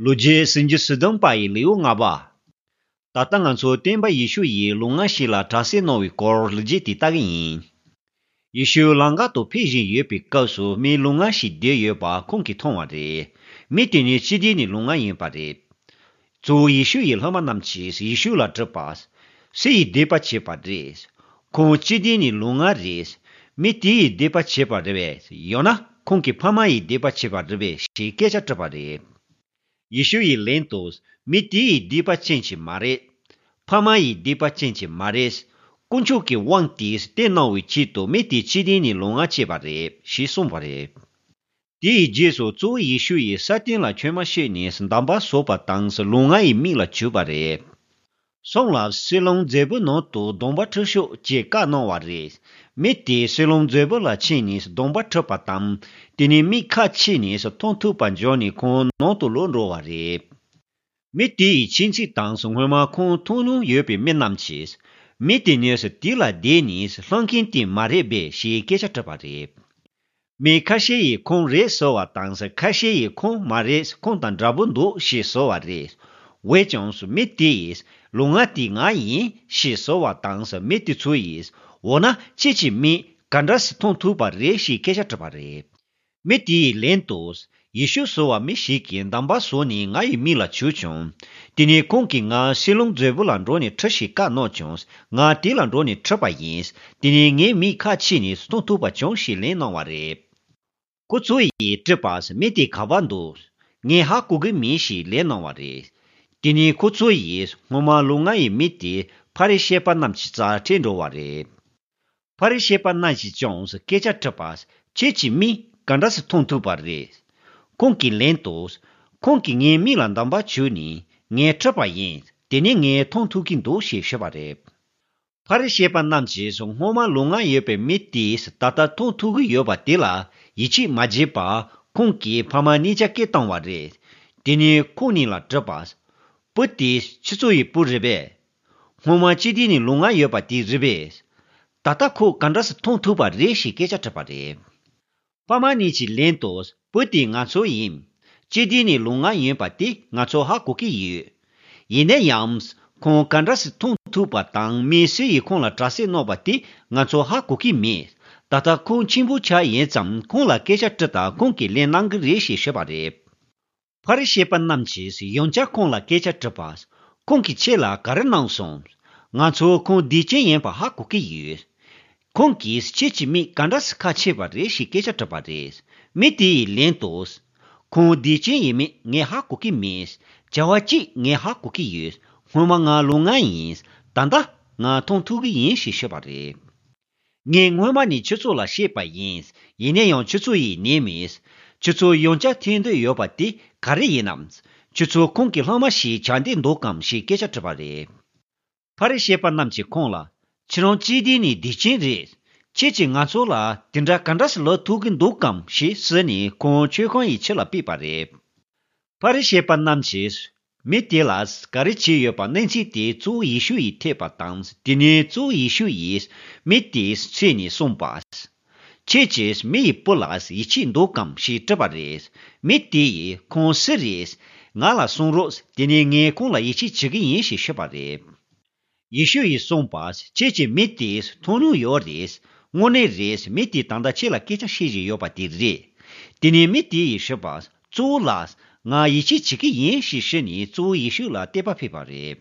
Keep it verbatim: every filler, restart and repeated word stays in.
ལོ་རྒྱུས་སུམ་ཅུ་སོ་བདུན་པ་ཡི་ལེའུ་ལྔ་པ། ད་ལྟ་ང་ཚོ་སྟོན་པ་ཡེ་ཤུ་ཡིས་ལུང་ངག་ཞིག་ལ་དྲག་སྐྱེད་གནང་བའི་སྐོར་ལོ་རྒྱུས་དེ་ལྟ་གི་ཡིན། ཡེ་ཤུ་ལམ་ཁ་དུ་ཕེབས་བཞིན་ཡོད་པའི་སྐབས་སུ་མི་ལུང་ངག་ཞིག་བསྡད་ཡོད་པ་ཁོང་གིས་མཐོང་བ་རེད། མི་དེ་ནི་སྤྱི་བདེ་ནས་ལུང་ངག་ཡིན་པ་རེད། གཙོ་བོ་ཡེ་ཤུ་ཡི་སློབ་མ་རྣམས་ཀྱིས་ཡེ་ཤུ་ལ་དྲིས་པ། སུ་ཡིས་སྡིག་པ་བྱས་པ་རེད། ཁོང་སྤྱི་བདེ་ནས་ལུང་ངག་རེད། མི་དེ་ཡིས་སྡིག་པ་བྱས་པ་རེད་པས། ཡང་ན་ཁོང་གི་ཕ་མ་ཡིས་སྡིག་པ་བྱས་པ་རེད་པས་ཞེས་སྐད་ཆ་དྲིས་པ་རེད། ཡེ་ཤུ་ཡིས་ལན་དུ། མི་དེ་ཡིས་སྡིག་པ་ཅན་ཅིག་མ་རེད། ཕ་མ་ཡིས་སྡིག་པ་ཅན་ཅིག་མ་རེད། དཀོན་མཆོག་གི་དབང་དེས་བསྟན་གནང་བའི་ཆེད་དུ་མི་དེ་སྤྱི་བདེ་ནས་ལུང་ངག་བྱས་པ་རེད་ཞེས་གསུངས་པ་རེད། དེའི་རྗེས་སུ་གཙོ་བོ་ཡེ་ཤུ་ཡིས་ས་སྟེང་ལ་མཆིལ་མ་བཤད་ནས་འདམ་བག་བཟོས་པ་དང་ལུང་ངག་ཡི་མིག་ལ་བྱུགས་པ་རེད། སོང་ལ་སིལ་ལོང་མཛོད་སྤུའི་ནང་དུ་གདོང་པ་འཁྲུད་ཤོག་ཅེས་བཀའ་གནང་བ་རེད། མི་དེས་སིལ་ལོང་མཛོད་སྤུ་ལ་ཕྱིན་ནས་གདོང་པ་འཁྲུད་པ་དང་། དེ་ནས་མིག་ཁ་ཕྱེ་ནས་མཐོང་ཐུབ་པ་བྱུང་ནས་ཁོང་ནང་དུ་ལོག་འགྲོ་བ་རེད། མི་དེ་ཡི་ཁྱིམ་མཚེས་དང་སྔོན་མ་ཁོང་མཐོང་མྱོང་ཡོད་པའི་མི་རྣམས་ཀྱིས། མི་དེ་ནི་དེ་ལ་བསྡད་ནས་སློང་མཁན་དེ་མ་རེད་པས་ཞེས་སྐད་ཆ་དྲིས་པ་རེད། མི་ཁ་ཤས་ཡིས་ཁོང་རེད་ཟེར་བ་དང་ཁ་ཤས་ཡིས་ཁོང་མ་རེད། ཁོང་དང་འདྲ་པོ་འདུག་ཞེས་ཟེར་བ་རེད། འོན་ཀྱང་མི་དེ་ཡིས་ལུང་ངག་དེ་ང་ཡིན་ཞེས་ཟེར་བ་དང་མི་དེ་ཚོ་ཡིས་འོ་ན་ཁྱེད་ཀྱིས་མིག་ག་འདྲ་སེ་མཐོང་ཐུབ་པ་རེད་ཞེས་སྐད་ཆ་དྲིས་པ་རེད། མི་དེ་ཡིས་ལན་དུ། ཡེ་ཤུ་ཟེར་བ་མི་ཞིག་གིས་འདམ་བག་བཟོས་ནས་ང་ཡི་མིག་ལ་བྱུགས་བྱུང་། དེ་ནས་ཁོང་གིས་ང་སིལ་ལོང་མཛོད་སྤུ་ལ་འགྲོ་ནས་འཁྲུད་ཞེས་བཀའ་གནང་བྱུང་། ང་དེ་ལ་འགྲོ་ནས་འཁྲུད་པ་ཡིན། དེ་ནས་ངའི་མིག་ཁ་ཕྱེ་ནས་མཐོང་ཐུབ་པ་བྱུང་ཞེས་ལན་གནང་བ་རེད། ཁོ་ཚོ་ཡིས་དྲིས་པ། མི་དེ་ག་པར་འདུག་ངས་ཧ་གོ་གི་མེད་ཞེས་ལན་གནང་བ་རེད། དེ་ནས་ཁོ་ཚོ་ཡིས་སྔོན་མ་ལུང་ངག་ཡི་མི་དེ་ཕ་རི་ཤི་པ་རྣམས་ཀྱི་རྩར་ཁྲིད་འགྲོ་བ་རེད། ཕ་རི་ཤི་པ་རྣམས་ཀྱིས་ཀྱང་སྐད་ཆ་དྲིས་པ། ཁྱེད་ཀྱིས་མིག་ག་འདྲ་སེ་མཐོང་ཐུབ་པ་རེད། ཁོང་གིས་ལན་དུ། ཁོང་གིས་ངའི་མིག་ལ་འདམ་བག་བྱུགས་ནས་ངས་འཁྲུད་པ་ཡིན། དེ་ནས་ངས་མཐོང་ཐུབ་ཀྱི་འདུག་ཞེས་ཞུས་པ་རེད། ཕ་རི་ཤི་པ་རྣམས་ཀྱིས་སྔོན་མ་ལུང་ངག་ཡོད་པའི་མི་དེས་ད་ལྟ་མཐོང་ཐུབ་ཀྱི་ཡོད་པ་དེ་ལ་ཡིད་ཆེས་མ་བྱས་པར་ཁོང་གི་ཕ་མ་གཉིས་ཆ་སྐད་བཏང་བ་རེད། དེ་ནས་ཁོང་གཉིས་ལ་དྲིས་པ། བུ་དེ་ཁྱེད་ཚོ་ཡི་བུ་རེད་པས། སྔོན་མ་སྤྱི་བདེ་ནས་ལུང་ངག་ཡོད་པ་དེ་རེད་པས། ད་ལྟ་ཁོ་ག་འདྲ་སེ་མཐོང་ཐུབ་པ་རེད་ཞེས་སྐད་ཆ་དྲིས་པ་རེད། ཕ་མ་གཉིས་ཀྱིས་ལན་དུ། བུ་དེ་ང་ཚོ་ཡིན། སྤྱི་བདེ་ནས་ལུང་ངག་ཡིན་པ་དེ་ང་ཚོ་ཧ་གོ་གི་ཡོད། ཡིན་ན་ཡང་། ཁོང་ག་འདྲ་སེ་མཐོང་ཐུབ་པ་དང་མི་སུ་ཡིས་ཁོང་ལ་དྲག་སྐྱེད་གནང་བ་དེ་ང་ཚོ་ཧ་གོ་གི་མེད། ད་ལྟ་ཁོང་ཆེན་པོ་ཆགས་ཡིན་ཙང་ཁོང་ལ་སྐད་ཆ་དྲིས་དང་ཁོང་གིས་ལན་གནང་གི་རེད་ཞེས་ཞུས་པ་རེད། ཕ་རི་ཤི་པ་རྣམས་ཀྱིས་ཡང་བསྐྱར་ཁོང་ལ་སྐད་ཆ་དྲིས་པ། ཁོང་གིས་ཁྱེད་ལ་ག་རེ་གནང་སོང་། ང་ཚོ་ཁོང་སྡིག་ཅན་ཡིན་པ་ཧ་གོ་གི་ཡོད། ཁོང་གིས་ཁྱེད་ཀྱི་མིག་ག་འདྲ་སེ་ཁ་ཕྱེས་པ་རེད་ཞེས་སྐད་ཆ་དྲིས་པ་རེད། མི་དེ་ཡིས་ལན་དུ། ཁོང་སྡིག་ཅན་ཡིན་མིན་ངས་ཧ་གོ་གི་མེད། བྱ་བ་གཅིག་ངས་ཧ་གོ་གི་ཡོད། སྔོན་མ་ང་ལུང་ངག་ཡིན། ད་ལྟ་ང་མཐོང་ཐུབ་གི་ཡིན་ཞེས་ཤོད་པ་རེད། ངས་སྔོན་མ་ནས་ཁྱེད་ཚོ་ལ་བཤད་པ་ཡིན། ཡིན་ན་ཡང་ཁྱེད་ཚོ་ཡིས་ཉན་མེད། ཁྱེད་ཚོ་ཡང་བསྐྱར་ཐོན་འདོད་ཡོད་པ་དེ་ག་རེ་ཡིན་ནམ། ཁྱེད་ཚོ་ཁོང་གི་སློབ་མ་ཞིག་ཆགས་འདོད་འདུག་གམ་ཞེས་སྐད་ཆ་དྲིས་པ་རེད། ཕ་རི་ཤི་པ་རྣམས་ཀྱིས་ཁོང་ལ། ཁྱེད་རང་སྤྱི་བདེ་ནས་སྡིག་ཅན་རེད། ཁྱེད་ཀྱིས་ང་ཚོ་ལ་དེ་འདྲ་ག་འདྲ་སེ་ལབ་ཐུབ་ཀྱི་འདུག་གམ་ཞེས་ཟེར་ནས་ཁོང་མཆོད་ཁང་ཡི་ཕྱི་ལ་ཕུད་པ་རེད། ཕ་རི་ཤི་པ་རྣམས་ཀྱིས་མི་དེ་ལ་ག་རེ་བྱས་ཡོད་པ་གནས་ཚུལ་དེ་གཙོ་བོ་ཡེ་ཤུ་ཡིས་ཐོས་པ་དང་དེ་ནས་གཙོ་བོ་ཡེ་ཤུ་ཡིས་མི་དེའི་མཚན་ནས་གསུངས་པ། ཁྱེད་ཀྱིས་མི་ཡི་བུ་ལ་ཡིད་ཆེས་འདུག་གམ་ཞེས་དྲིས་པ་རེད། མི་དེ་ཡིས་ཁོང་སུ་རེད། ང་ལ་གསུང་རོགས། དེ་ནས་ངས་ཁོང་ལ་ཡིད་ཆེས་བྱེད་ཀྱི་ཡིན་ཞེས་ཤོད་པ་རེད། ཡེ་ཤུ་ཡིས་གསུངས་པ། ཁྱེད་ཀྱིས་མི་དེ་མཐོང་མྱོང་ཡོད་རེད། དངོས་གནས་རེད། མི་དེས་ད་ལྟ་ཁྱེད་ལ་སྐད་ཆ་བཤད་བཞིན་ཡོད་པ་དེ་རེད། དེ་ནས་མི་དེ་ཡིས་ཞུས་པ། གཙོ་བོ་ལགས། ང་ཡིད་ཆེས་བྱེད་ཀྱི་ཡིན་ཞེས་ཞུས་ནས་གཙོ་བོ་ཡེ་ཤུ་ལ་དད་པ་ཕེབས་པ་རེད།